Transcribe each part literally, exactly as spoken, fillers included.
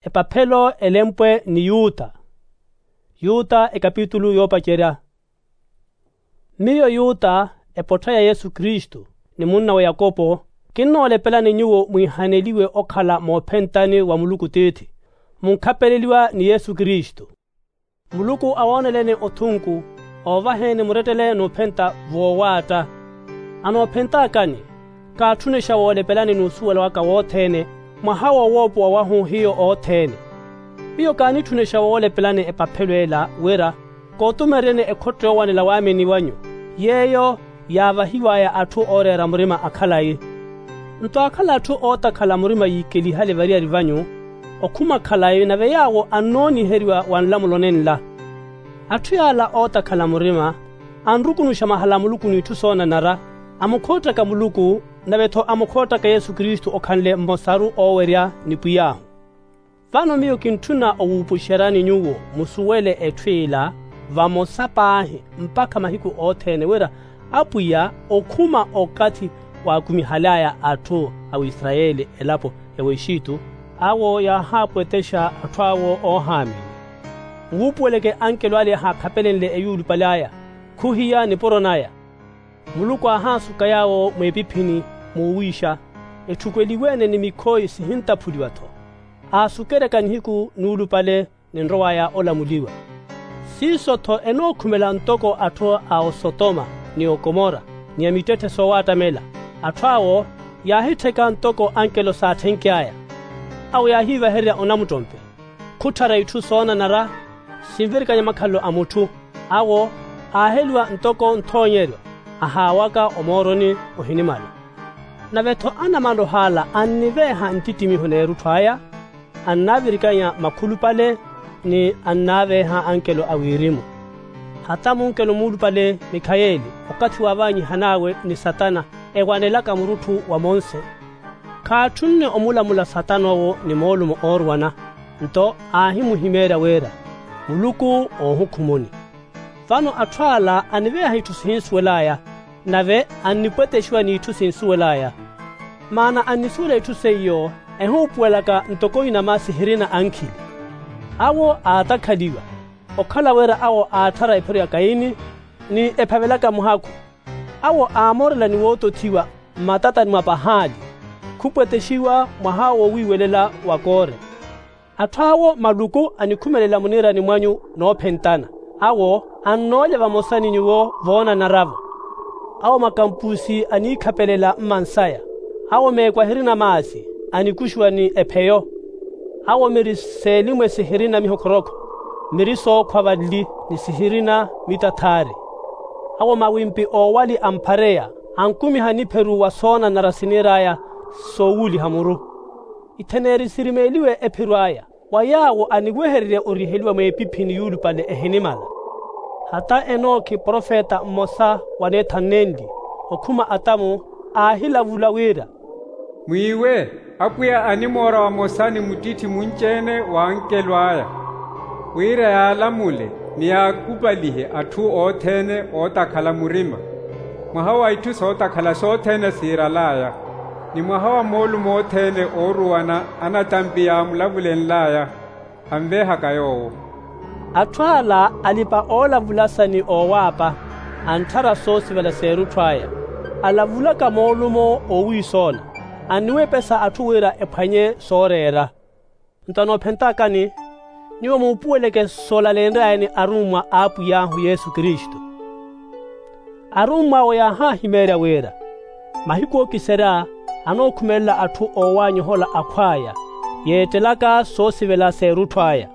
Epaphelo elempwe ni yuta. Yuta ekapitulu yoopacerya. Miyo yuta, epottha ya yesu kristu, ni munnawe yakopo, kinnoolepelani nyuwo mwiihaneliwe okhala moophentani wa muluku tiithi, munkhapeleliwa ni yesu kristu. Muluku awooneleni othunku, oovaheni murettele n'uphenta voowaatta. Anoophentaakani, kaatthunexa woolepelani n'usuwela waka wothene, mwaha wo woopowa wahu hiyo othene. Miyo kaanitthunexa woolepelani epaphelo ela wira, kootumereryani ekhotto yoowanela waamini wanyu, yeeyo yaavahiw'aya atthu ooreera murima akhalayi. Nto aakhala atthu ootakhala murima yiikelihale variyari vanyu, okhuma khalayi nave yaawo annooniheriwa wa nlamulo nenla. Atthu yaala ootakhala murima, anrukunuxa mahala a muluku n'itthu soonanara, amukhoottaka muluku, nave-tho amukhoottaka yesu kristu okhanle mmosaru oowerya ni pwiy'ahu. Vano miyo kintthuna owuupuxeryani nyuwo musuwele etthu ila, vamosa paahi mpakha mahiku othene wira, apwiya okhuma okathi waakumihaly'aya atthu a wisarayeli elapo ya wexittu, awo yaahaapwetexa atthu awo oohaamini. Nwuupuweleke ankelo ale yahaakhapelenle eyuulupale aya, khuhiya nipuro naya. Muluku aahaasuka yaawo mweepiphini, muuwiixa, etthukweliwe-ene ni mikhoyi sihintaphuliwa-tho. Aasukeryaka nihiku nuulupale, ninrow'aya olamuliwa. Siiso-tho enookhumela ntoko atthu a osotoma, ni okomora, ni a mittetthe soowaattamela. Atthu awo yaahittheka ntoko ankelo saatthenky'aya. Awo yaahiivahererya onamuttompe, khutthara itthu soonanara, sinvirikanya makhalelo a mutthu. Awo aaheliwa ntoko nthoonyeryo, ahaawaka omooroni ohinimala. Nave-tho anamaloha ala anniveeha nttittimiho n'erutthu aya, annaavirikanya makhulupale, ni annaaveeha ankelo a wirimu. Hata munkelo muulupale mikhayeeli, okathi waavaanyihan'awe ni satana, ewanelaka murutthu wa monse, khaatthunne omulamula satana owo ni moolumo ooruwana. Nto aahimuhimeerya wira, muluku oohukhumuni. Vano atthu ala aniveeha itthu sihinsuwel'aya, nave annipwetexiwa n'itthu sinsuwel'aya. Maana annisuwela itthu seiyo, ehuupuwelaka ntoko inama sihirina ankhili. Awo aatakhaliwa, okhala wira awo aatthara ephiro ya kaini, ni ephavelaka muhakhu. Awo aamoorela ni wootothiwa, mmatatani mwa pahaali, khupwetexiwa mwaha wo wiiwelela wa koore. Atthu awo maluku anikhumelela muniirani mwanyu noophentana. Awo annoolya vamosa ni nyuwo voonanara-vo. Awo makampusi aniikhapelela mmansaya. Awo meekwahiri na maasi, anikuxiwa ni epheyo. Awo miri seelimwe sihirina mihokhorokho, miri sookhwa valli, ni sihirina mitathaari. Awo mawimpi oowali amphareya, ankumiha nipheru wa soonanara siniir'aya, soowuuliha muru. Itheneeri sirimeeliwe epheru aya, wa yaawo aniwehererya oriheliwa mweepiphini yuulupale ehinimala. Hata enoki profeta mmosa waneethanenli, okhuma atamu, aahilavula wira, mwiiwe, apwiya animoora vamosa ni muttitthi munci-ene w'ankelo aya, wira yaalamule ni yaakupalihe atthu othene ootakhala murima, mwaha wa itthu sootakhala sothene siiral'aya, ni mwaha wa moolumo othene ooruwana anatampi yaamulavulenl'aya, anveehaka yoowo. Atthu ala alipa-oolavulasa ni oowaapa, antthara soosivela s'erutthu aya, alavulaka moolumo oowiisoola, anniwepesa atthu wira ephwanye sooreera. Nto anoophentaakani, nyuwo muupuweleke soolalenry'aya ni arummwa a apwiy'ahu yesu kristu. Arummw'awe yaahaahimeerya wira, mahiku ookiserya anookhumelela atthu oowaanyohola akhw'aya, yeettelaka soosivela s'erutthu aya.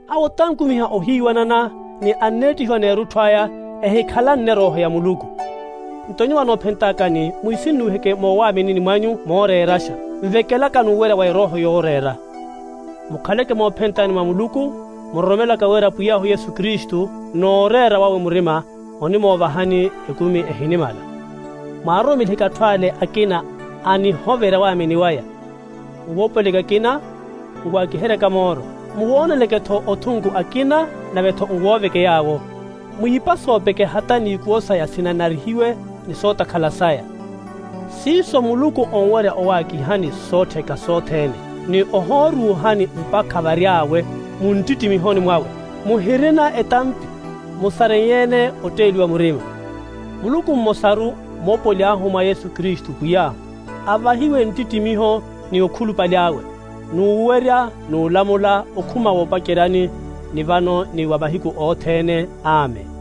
Awo tankumiha ohiiwanana, ni anneettihiwa n'erutthu aya, ehikhalanne erooho ya muluku. Nto nyuwo anoophentaakani, mwisinnuwiheke moowaaminini mwanyu mooreeraxa, nvekelaka n'uwerya wa erooho yooreera. Mukhaleke moophentani mwa muluku, muroromelaka wira pwiy'ahu yesu kristu, n'ureera wawe murima, onimoovahani ekumi ehinimala. Mwaarumeliheke atthu ale akina, anihoverya waamini waya. Nwoopuweleke akina, nwaakiheryaka mooro, muwooneleke-tho othunku akina, nave-tho nwooveke yaawo. Mwiipa soopeke hata n'ikuwo saya sinanarihiwe, ni sootakhala saya. Siiso muluku onwerya owaakihani soottheka sothene. ni ohooruuhani mpakha vary'awe muntittimihoni mwawe. Muhirina etampi, musareiye-ene otteeliwa murima. Muluku mmosaru moopoli ahu mwa yesu kristu pwiy'ahu, avahiwe nttittimiho ni okhulupale awe, n'uwerya n'ulamula okhuma woopaceryani ni vano ni wa mahiku othene. Amen.